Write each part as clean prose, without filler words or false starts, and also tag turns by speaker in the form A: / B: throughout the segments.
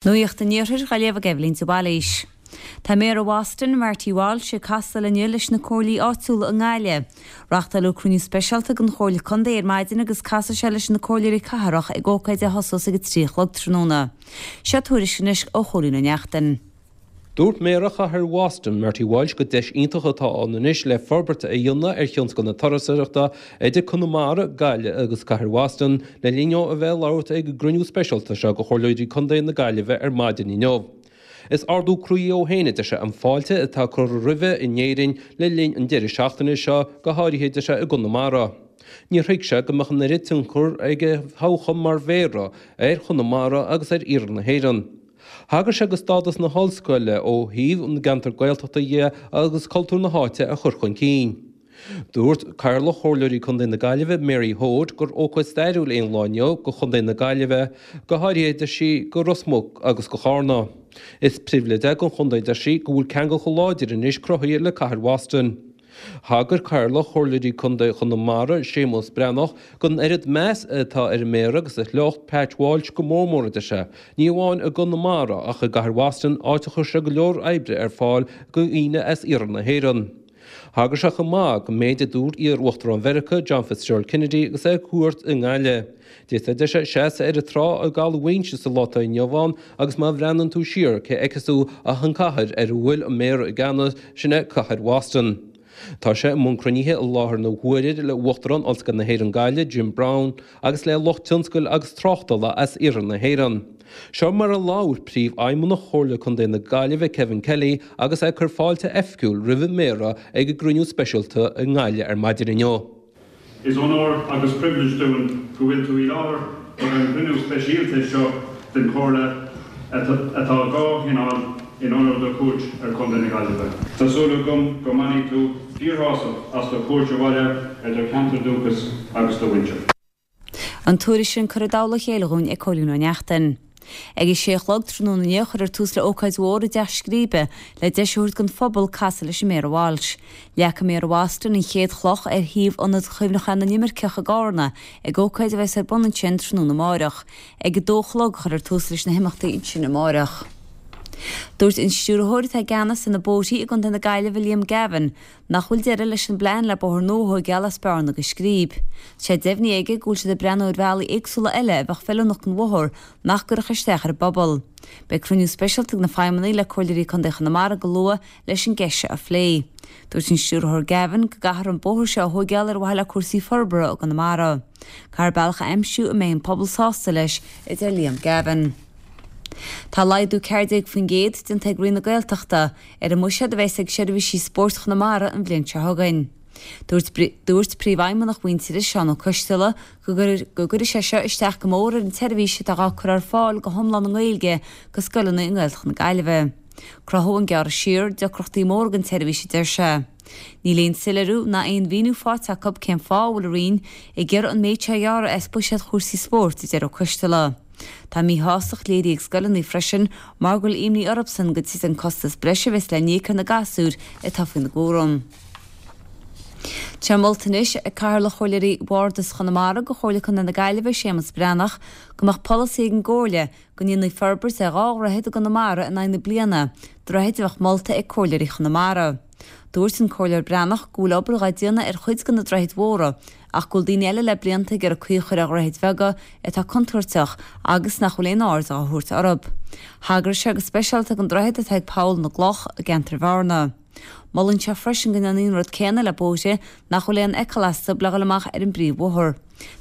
A: Nuacht an Iarthair á léamh ag Eibhlín de Bhailís. Tá Méara Bhoston, Marty Walsh, ag castáil inniu leis na comhairlí áitiúla i nGaillimh. Reáchtáladh cruinniú speisialta den Chomhairle Contae ar maidin agus casfaidh sé leis na comhairleoirí cathrach ag ócáid a thosós ag a 3 a chlog tráthnóna. Seo tuairisc anois ó Chóilín Ó Neachtain.
B: Dúirt Méara Chathair Bhoston, Marty Walsh, gur deis iontach atá ann anois le forbairt a dhéanamh ar thionscal na turasóireachta idir Conamara, Gaillimh agus Cathair Bhoston le linn dó a bheith ag labhairt ag an gcruinniú speisialta seo de Chomhairleoirí Contae na Gaillimhe ar maidin inniu. Is ardú croí dhó féin, a deir sé, an fáilte atá curtha roimhe in Éirinn le linn an deireadh seachtaine seo, go háirithe, a deir sé, i gConamara. Níor thuig sé go mbeadh an oiread tionchar ag a thoghchán mar mhéara ar Chonamara agus ar iarthar na hÉireann. Thagair sé do stádas na hollscoile ó thaobh na gceantar Gaeltachta dhe agus cultúr na háite a chur chun cinn. Dúirt Cathaoirleach Chomhairleoirí Contae na Gaillimhe, Mary Hoade, gur ócáid stairiúil é an lá inniu do Chontae na Gaillimhe, go háirithe, deir sí, do Ros Muc agus do Charna. Is pribhléid é don chontae, deir sí, go bhfuil ceangal chomh láidir anois cruthaithe le cathair Bhoston. Thagair Cathaoirleach Chomhairleoirí Contae Chonamara, Séamus Breathnach, don oiread meas atá ar an Méara agus a shliocht, Pat Walsh, go mór mór, a deir sé, ní amháin i gConamara ach i gcathair Bhoston, áit a chuir sé go leor oibre ar fáil do dhaoine as iarthar na hÉireann. Thagair sé chomh maith don méid a dúirt iar-Uachtarán Mheiriceá, John Fitzgerald Kennedy agus é ar cuairt i nGaillimh. D'fhéadfá, a deir sé, seasamh ar an trá i gCaladh Mhaínse sa lá atá inniu ann agus má bhreathnaíonn tú siar cé a fheicfeas tú ach an cathair ar a bhfuil an Méara i gceannas, sin é cathair Bhoston. Tá sé i mbun cruinnithe i láthair na huaire le Uachtarán Ollscoil na hÉireann Gaillimh, Jim Browne, agus le lucht tionscail agus tráchtála as iarthar na hÉireann. Seo mar a labhair Príomhfheidhmeannach Chomhairle Contae na Gaillimhe, Kevin Kelly, agus é ag cur fáilte oifigiúil roimh an Méara ag an gcruinniú speisialta i nGaillimh ar maidin inniu.
C: Is onóir agus pribhléid dúinn go bhfuil tú i láthair ag an gcruinniú speisialta seo den Chomhairle atá dhá thionól in onóir do chuairt ar Chontae na Gaillimhe. Tá súil agam go mbainfidh tú fíorshásamh as do chuairt abhaile ar do cheantar dúchais agus do mhuintir.
A: An tuairisc sin curtha i dtoll a chéile dhúinn ag Cóilín Ó Neachtain. Ag a sé a chlog tráthnóna inniu cuirfear tús le ócáid mhór i dTeach Scríbe le deis a thabhairt don phobal casadh leis an Méara Walsh. Leagfaidh Méara Bhoston an chéad chloch ar shuíomh Ionad Chuimhneacháin na nImirceach i gCarna ag ócáid a bheas ar bun ansin tráthnóna amáireach. Ag a dó a chlog a chuirfear tús leis na himeachtaí ansin amáireach. Dúirt an stiúrthóir atá i gceannas ar na bóithrí i gContae na Gaillimhe Liam Gavin Nach bhfuil deireadh leis an bplean le bóthar nua a thóigeáil as Bearna go Scríb. Tá sé deimhnithe aige go bhfuil siad ag breathnú ar bhealaí éagsúla eile a bheadh feiliúnach don bhóthar nach gcuirfeadh isteach ar an bpobal. Beidh cruinniú speisialta ag na feidhmeannaigh le Comhairleoirí Contae Chonamara go luath leis an gceist seo a phlé. Dúirt an Stiúrthóir Gavin go gcaithfear an bóthar seo a thóigeáil ar mhaithe le cúrsaí forbartha i gConamara. Caithfear bealach a aimsiú a mbeidh an pobal sásta leis, a deir Liam Gavin. Tá laghdú 14% déanta ag Roinn na Gaeltachta ar an mbuiséad a bheas ag seirbhísí spóirt Chonamara an bhliain seo chugainn. Dúirt Dúirt Príomhfheidhmeannach Mhuintearais, Seán Ó Coisteala, go go gcuirfidh sé seo isteach go mór ar an tseirbhís atá á cur ar fáil go hiomlán i nGaeilge go scoileanna i nGaeltacht na Gaillimhe. Cruthóidh an gearradh siar deacrachtaí móra don tseirbhís, a deir sé. Níl aon soiléiriú ná aon mhíniú faighte acu cén fáth a bhfuil an Roinn ag iarraidh an méid seo a ghearradh as buiséad chúrsaí spóirt, a deir Ó Coisteala. Tá míshástacht léirithe ag scoileanna freisin mar go bhfuil imní orthusan go dtitfidh an costas breise a bheas le n-íoc ar na gasúir atá faoina gcúram. Tá molta anois ag Cathaoirleach Chomhairleoirí Bhardas Chonamara go Chomhairle Contae na Gaillimhe, Séamus Breathnach, go mbeadh polasaí ag an gComhairle go ndéanfaí forbairt ar 2 dhroichead i gConamara in aghaidh na bliana, droichid a bheadh molta ag Comhairleoirí Chonamara. Dúirt an Comhairleoir Breathnach go bhfuil obair dhá déanamh ar chuid de na droichid mhóra ach go bhfuil daoine eile le blianta ag iarraidh caoi a chur ar dhroichid bheaga atá contúirteach agus nach bhfuil aon aird á thabhairt orthu. Thagair sé go speisialta don droichead atá ag Poll na gCloch i gceantar Bhearna. Molann sé freisin go ndéanfaí an rud céanna le bóithre nach bhfuil aon fheiceáil astu le dhul amach ar an bpríomhbhóthar.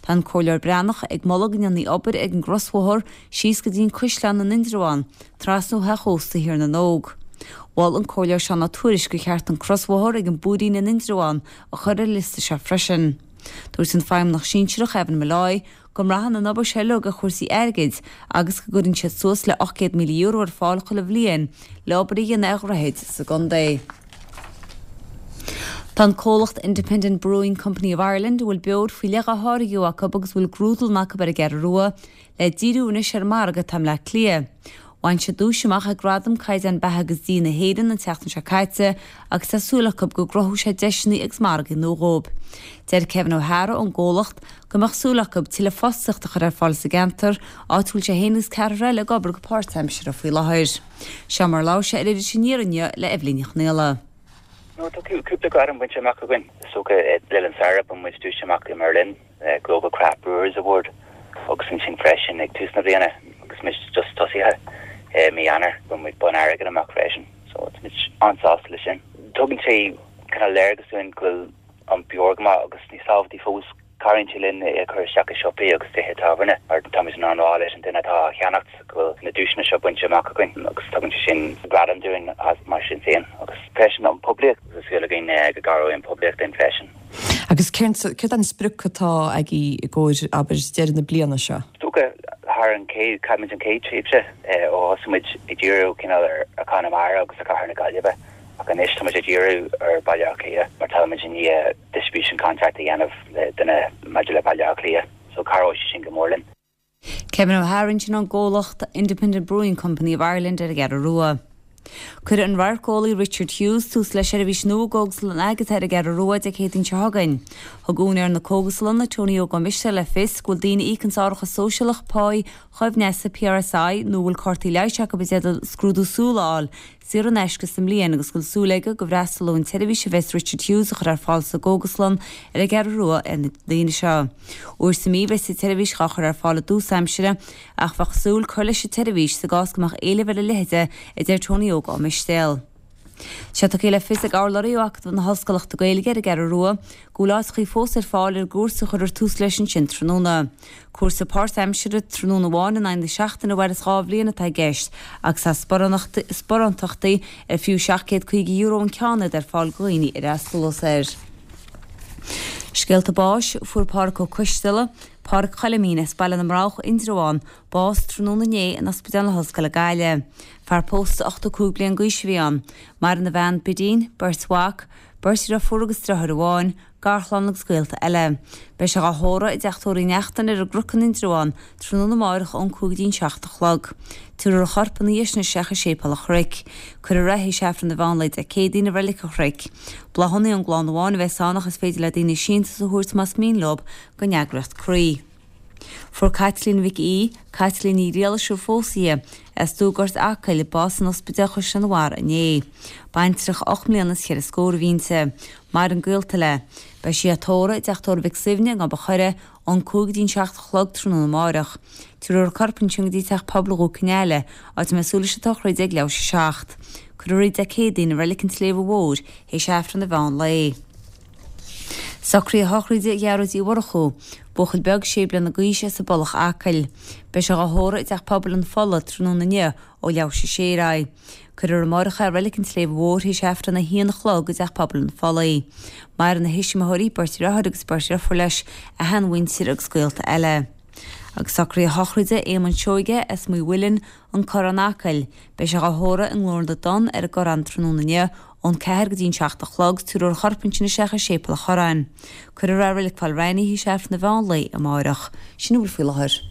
A: Tá an Comhairleoir Breathnach ag moladh go ndéanfaí obair ag an gcrosbhóthar síos go dtí an Caisleán in Indreabhán, trasna ó theach ósta Thír na nÓg. Mhol an Comhairleoir Seán Ó Tuairisg gur cheart an crosbhóthar ag an bPúirín in Indreabhán a chur ar an liosta seo freisin. Dúirt an Feidhmeannach Sinsearach Evan Molloy go mbraitheann an obair seo uilig ar chúrsaí airgid agus go gcuireann siad suas le €800,000 ar fáil chuile bhliain le obair a dhéanamh ar dhroichid sa gcontae. Tá an comhlacht Independent Brewing Company of Ireland, a bhfuil beoir faoi leith á tháirgeadh acu agus a bhfuil grúdlann acu ar an gCeathrú Rua, le díriú anois ar an margadh atá i mBleá Cliath. Bhain siad duais amach ag Gradaim Caighdeán Beatha agus Dí na hÉireann an tseachtain seo caite agus tá súil acu go gcruthóidh sé deiseanna agus margaí nua dhóibh. Deir Kevin O'Hara ón gcomhlacht go mbeadh súil acu tuilleadh fostaíochta a chur ar fáil sa gceantar, áit a bhfuil sé féin agus ceathrar eile ag obair go páirtaimseartha faoi láthair. Seo mar a labhair sé ar Iris Aniar inniu le Eibhlín Ní Chonghaile.
D: Nó tá cúpla gradam bainte amach againn. Is dócha le linn an tsamhraidh bhain muid duais amach i mBerlin. Global Craft Brewers Award agus ansin freisin ag tús na bliana agus muid just tosaithe i mí Eanáir bhain muid bonn airgid amach freisin so tá muid an-sásta leis sin. Tugann sé kind of léargas dúinn go bhfuil an beoir go maith agus níos tábhachtaí fós cabhraíonn sé linn é a chur isteach i siopaí agus tithe tábhairne mar táimid in ann rá leis an duine atá á cheannacht go bhfuil na duaiseanna seo bainte amach againn agus tugann sé sin gradam dúinn as mar sin féin agus freisin an poiblíocht agus tá súil againn go gcabhróidh an poiblíocht linn freisin.
E: Agus céard an sprioc atá agaibh i gcomhair, abair, deireadh na bliana seo?
D: Is dócha, thar an chéad, chaith muid an chéad tréimhse ó thosaigh muid ag díriú cineál ar Chonamara agus ar Chathair na Gaillimhe ach anois tá muid ag díriú ar Baile Átha Cliath mar tá muid i ndiaidh distribution contract a dhéanamh le duine maidir le Baile Átha Cliath so cabhróidh sé sin go mór linn.
A: Kevin O'Hara ansin ón gcomhlacht Independent Brewing Company of Ireland ar an gCeathrú Rua. Cuirfidh an radharceolaí Richard Hughes tús le seirbhís nua i gCógaslann Agatha ar an gCeathrú Rua Dé Céadaoin seo chugainn. Thug úinéir na cógaslainne, Tony Óg Ó Mistéil le fios go bhfuil daoine a íocanns árachas sóisialach, páí, choibhneasta, PRSI, nó a bhfuil cártaí leighis acu i dteideal scrúdú súl a fháil saor in aisce sa mbliain agus go bhfuil súil aige go bhfreastalóidh an tseirbhís a bheas Richard Hughes a chur ar fáil sa gcógaslann ar an gCeathrú Rua ar na daoine seo. Uair sa mhí bheas an tseirbhís dhá chur ar fáil i dtús aimsire ach bheadh súil cur leis an tseirbhís sa gcás go mbeadh éileamh ar a leithéid a deir Tony Óg Ó Mistéil. Tá sé tugtha le fios ag urlabhraí ó Acadamh na hOllscolachta Gaeilge ar an gCeathrú Rua go bhfuil áiteachaí fós ar fáil ar an gcúrsa a chuirfear tús leis ansin tráthnóna. Cúrsa páirtaimseartha, tráthnóna amháin in aghaidh na seachtaine a mhairfeas 2 bhliain atá i gceist agus tá sparántachtaí ar fiú €750 an ceann iad ar fáil do dhaoine a fhreastalós air. Scéalta báis, Fuair Pádhraic Ó Coisteala, Pádhraic Choilimín as Baile na mBroghach, Indreabhán, bás tráthnóna inné in Ospidéal na hOllscoile Gaillimh. Fear pósta 85 bliain d'aois a bhí ann. Maireann a bhean, Bidín, beirt mhac, beirt dhriofúr agus driotháir amháin, garchlann agus gaolta eile. Beidh sé dhá thórramh i dteach tórraimh Uí Neachtain ar an gCnoc in Indreabhán tráthnóna amáireach ón 5 go dtí an 7 a chlog. Tabharfar a chorp ina dhiaidh sin isteach i Séipéal an Chnoic. Cuirfear é théis Aifreann an mheán lae Dé Céadaoin i Reilig an Chnoic. Bláthanna ón gclann amháin a bheas ann ach is féidir le daoine síntiús a thabhairt más mian leo don eagraíocht Croí. Fuair Caitlín Mhic Aoidh, Caitlín Ní Ghriallais ar phós í, as Dúghort, Acaill, bás in Ospidéal Chaisleán an Bharraigh inné. Baintreach 8 mbliana is cheithre scór a bhí inti. Maireann gaolta léi. Beidh sí á tórramh i dteach tórraimh Mhic Suibhne i nGob an Choire ón 5 go dtí an 7 a chlog tráthnóna amáireach. Tabharfar a corp ansin go dtí Teach Pobail Dhún Cionnaile, áit a mbeidh súil leis an tsochraid ag leathuair théis a 7. Cuirfear í Dé Céadaoin i Reilig an tSléibhe Mhóir théis Aifreann an mheán lae. Socruithe sochraide Ghearóid Uí Mhurchú, buachaill beag sé bliana d'aois as an bPollach Acaill. Beidh sé dhá thórramh i dTeach Pobail an Phollaigh tráthnóna inniu ó leathuair théis a sé ar aghaidh. Cuirfear amáireach é i Reilig an tSléibhe Mhóir théis Aifreann a haon a chlog i dTeach Pobail an Phollaigh. Maireann a thuismitheoirí, beirt dheartháir agus beirt dheirfiúr leis, a sheanmhuintir agus gaolta eile. Agus socruithe sochraide Éamonn Seoige as Maigh Mhuilinn, An Corrán Acaill. Beidh sé dhá thórramh i nGlór na dTonn ar an gCorrán tráthnóna inniu ón 4 go dtí an 7 a chlog, tabharfar a chorp ansin isteach i Séipéal an Chorráin. Cuirfear é i Reilig Phaul Reilly théis Aifreann an mheán lae amáireach. Sin a bhfuil faoi láthair.